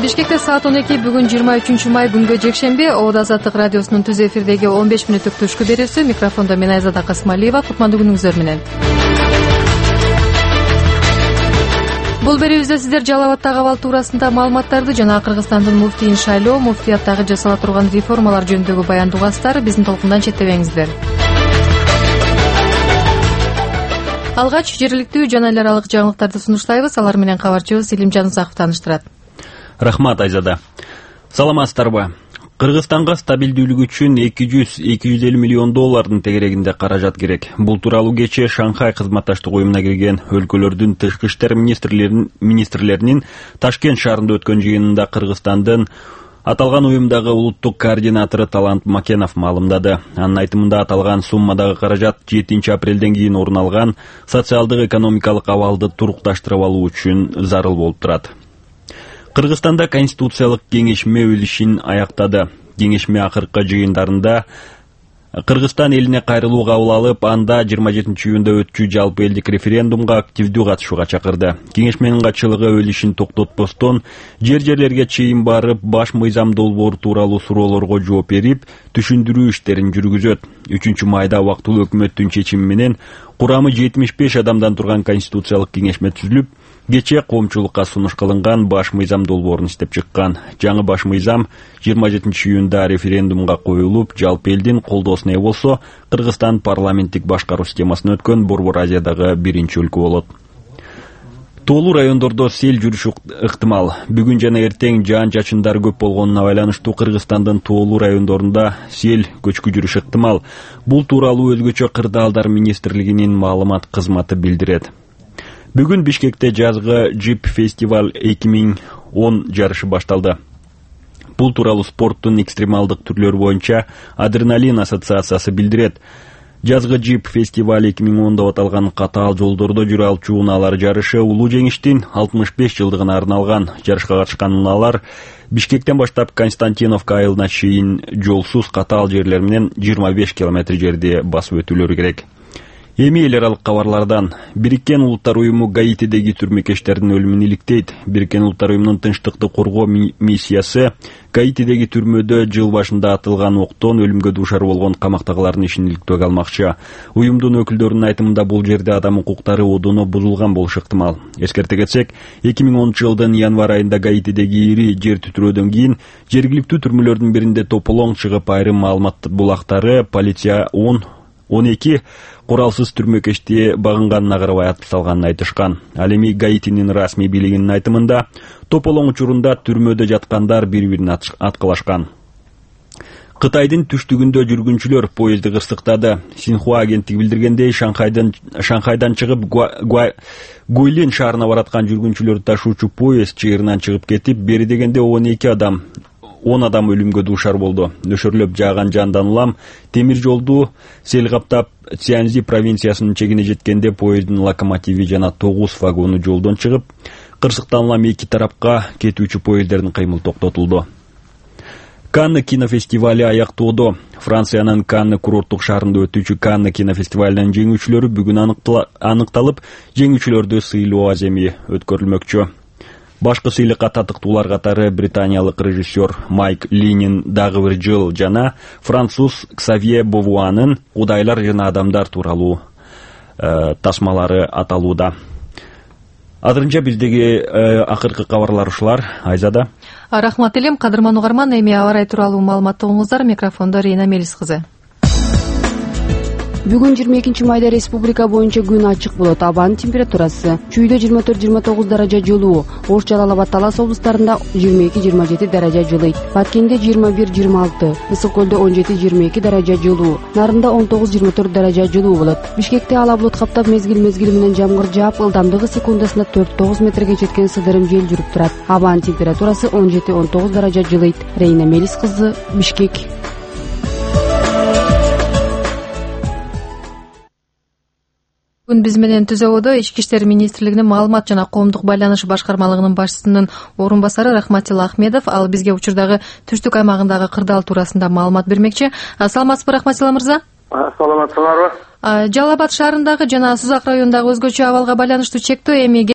Бишкекте саат 12 бүгүн 23 май күнгө жекшемби. Обод Азаттык радиосунун түз эфирдеги 15 мүнөттүк түшкү берүүсү. Микрофондо мен Айзада Касмалиева. Кутмандуу күнүңүздөр менен. Бул берүүбүздө сиздер Жалал Абадтагы абал туурасында маалыматтарды жана Кыргызстандын муфтийин шайлоо, муфтияттагы жасала турган реформалар жөнүндөгү баяндуу угаттар биздин толкундан четтебеңиздер. Алгач жергиликтүү жана эл аралык жаңылыктарды сунуштайбыз. Алар менен кабарчыбыз Илимжан Узаков тааныштырат. Рахмат, Айзада. Саламатсыздарбы? Кыргызстанга стабилдүүлүк үчүн 200-250 миллион доллардын тегерегинде каражат керек. Бул тууралуу кечээ Шанхай кызматташтык уюмуна кирген өлкөлөрдүн тышкы иштер министрлеринин Ташкент шаарында өткөн жыйынында Кыргызстандын аталган уюмдагы улуттук координатору Талант Макенов маалымдады. Анын айтымында аталган суммадагы каражат 7 апрелден кийин орун алган социалдык экономикалык абалды турукташтырып алуу үчүн зарыл болуп турат. Кыргызстанда конституциялык кеңешме өз ишин аяктады. Кеңешме акыркы жыйындарында Кыргызстан элине кайрылуу кабыл алып, анда 27 июнда өтчү жалпы элдик референдумга активдүү катышууга чакырды. Кеңешменин катчылыгы өз ишин токтотпостон жерлерге чейин барып, баш мыйзам долбоору тууралуу суроолорго жооп берип, түшүндүрүү иштерин жүргүзөт. 3 майда убактылуу өкмөттүн чечими менен курамы 75 адамдан турган конституциялык кеңешме түзүлүп, кечээ коомчулукка сунуш кылынган баш мыйзам долбоорун иштеп чыккан. Жаңы баш мыйзам 27 июнда референдумга коюлуп, жалпы элдин колдоосуна ээ болсо, Кыргызстан парламенттик башкаруу системасына өткөн Борбор Азиядагы биринчи өлкө болот. Тоолуу райондордо сел жүрүшү ыктымал. Бүгүн жана эртең жаан-чачындар көп болгонуна байланыштуу Кыргызстандын тоолуу райондорунда сел көчкү жүрүшү ыктымал. Бул тууралуу өзгөчө кырдаалдар министрлигинин маалымат кызматы билдирет. Бүгүн Бишкекте жазгы Джип фестиваль 2010 жарышы башталды. Бул тууралуу спорттун экстремалдык түрлөрү боюнча Адреналин ассоциациясы билдирет. Жазгы Джип фестиваль 2010 деп аталган катаал жолдордо жүрө алчу унаалар жарышы улуу жеңиштин 65 жылдыгына арналган. Жарышка катышкан унаалар Бишкектен баштап Константиновка айылына чейин жолсуз катаал жерлер менен 25 километр жерди басып өтүүлөрү керек. Эми эл аралык кабарлардан. Бириккен Улуттар уюму Гаитидеги түрмөкечтердин өлүмүн иликтейт. Бириккен Улуттар уюмунун тынчтыкты коргоо миссиясы Гаитидеги түрмөдө жыл башында атылган октон өлүмгө дуушар болгон камактагылардын ишин иликтөөгө алмакчы. Уюмдун өкүлдөрүнүн айтымында бул жерде адам укуктары одону бузулган болушу ыктымал. Эскерте кетсек, 2010 жылдын январь айында Гаитидеги ири жер титирөөдөн кийин жергиликтүү түрмөлөрдүн биринде тополоң чыгып, айрым маалымат булактары полиция 12 куралсыз түрмөкечти багынганына карабай атып салганын айтышкан. Ал эми Гаитинин расмий бийлигинин айтымында тополоң учурунда түрмөдө жаткандар бири-бирине аткылашкан. Кытайдын түштүгүндө жүргүнчүлөр поезди кырсыктады. Синхуа агенттиги билдиргендей, Шанхайдан чыгып Гуйлин шаарына бараткан жүргүнчүлөрдү ташуучу поезд чыйырынан чыгып кетип, бери дегенде 10 адам өлүмгө дуушар болду. Нөшөрлөп жааган жандан улам темир жолду сел каптап, Цзянзи провинциясынын чегине жеткенде поездин локомотиви жана 9 вагону жолдон чыгып, кырсыктан улам эки тарапка кетүүчү поезддердин кыймыл токтотулду. Канны кинофестивали аяктоодо. Франциянын Канны курорттук шаарында өтүүчү Канны кинофестивалынын жеңүүчүлөрү бүгүн аныкталып, жеңүүчүлөрдү сыйлоо аземи өткөрүлмөкчү. Башкы сыйлыкка татыктуулар катары британиялык режиссер Майк Линин дагы бир жыл жана француз Ксавье Бовуанын Кудайлар жана адамдар тууралуу тасмалары аталууда. Азырынча биздеги акыркы кабарлар ушулар. Айзада. Рахмат элем, кадырман угарман. Эми аба ырайы тууралуу маалыматтооңуздар. Микрофондо Рейна Мелис кызы. Бүгүн 22 майда республика боюнча күн ачык болот. Абанын температурасы чүйдө 24-29 даража жылуу, Ош, Жалал Абад, Талас облустарында 22-27 даража жылыйт. Баткенде 21-26, Ысык көлдө 17-22 даража жылуу, Нарында 19-24 даража жылуу болот. Бишкекте ала булут каптап мезгил менен жамгыр жаап, ылдамдыгы секундасына 4-9 метрге жеткен сыдырым жел жүрүп турат. Абанын температурасы 17-19 даража жылыйт. Рейна Мелис кызы, Бишкек. Бүгүн биз менен Түзөбодо Ички иштер министрлигинин маалымат жана коомдук байланыш башкармалыгынын башчысынын орун басары Рахматилла Ахмедов ал бизге учурдагы түштүк аймагындагы кырдаал туурасында маалымат бермекчи. Саламатсызбы, Рахматилла мырза? Саламатсыздарбы? Жалал Абад шаарындагы жана Сузак районундагы өзгөчө абалга байланыштуу чектөө эми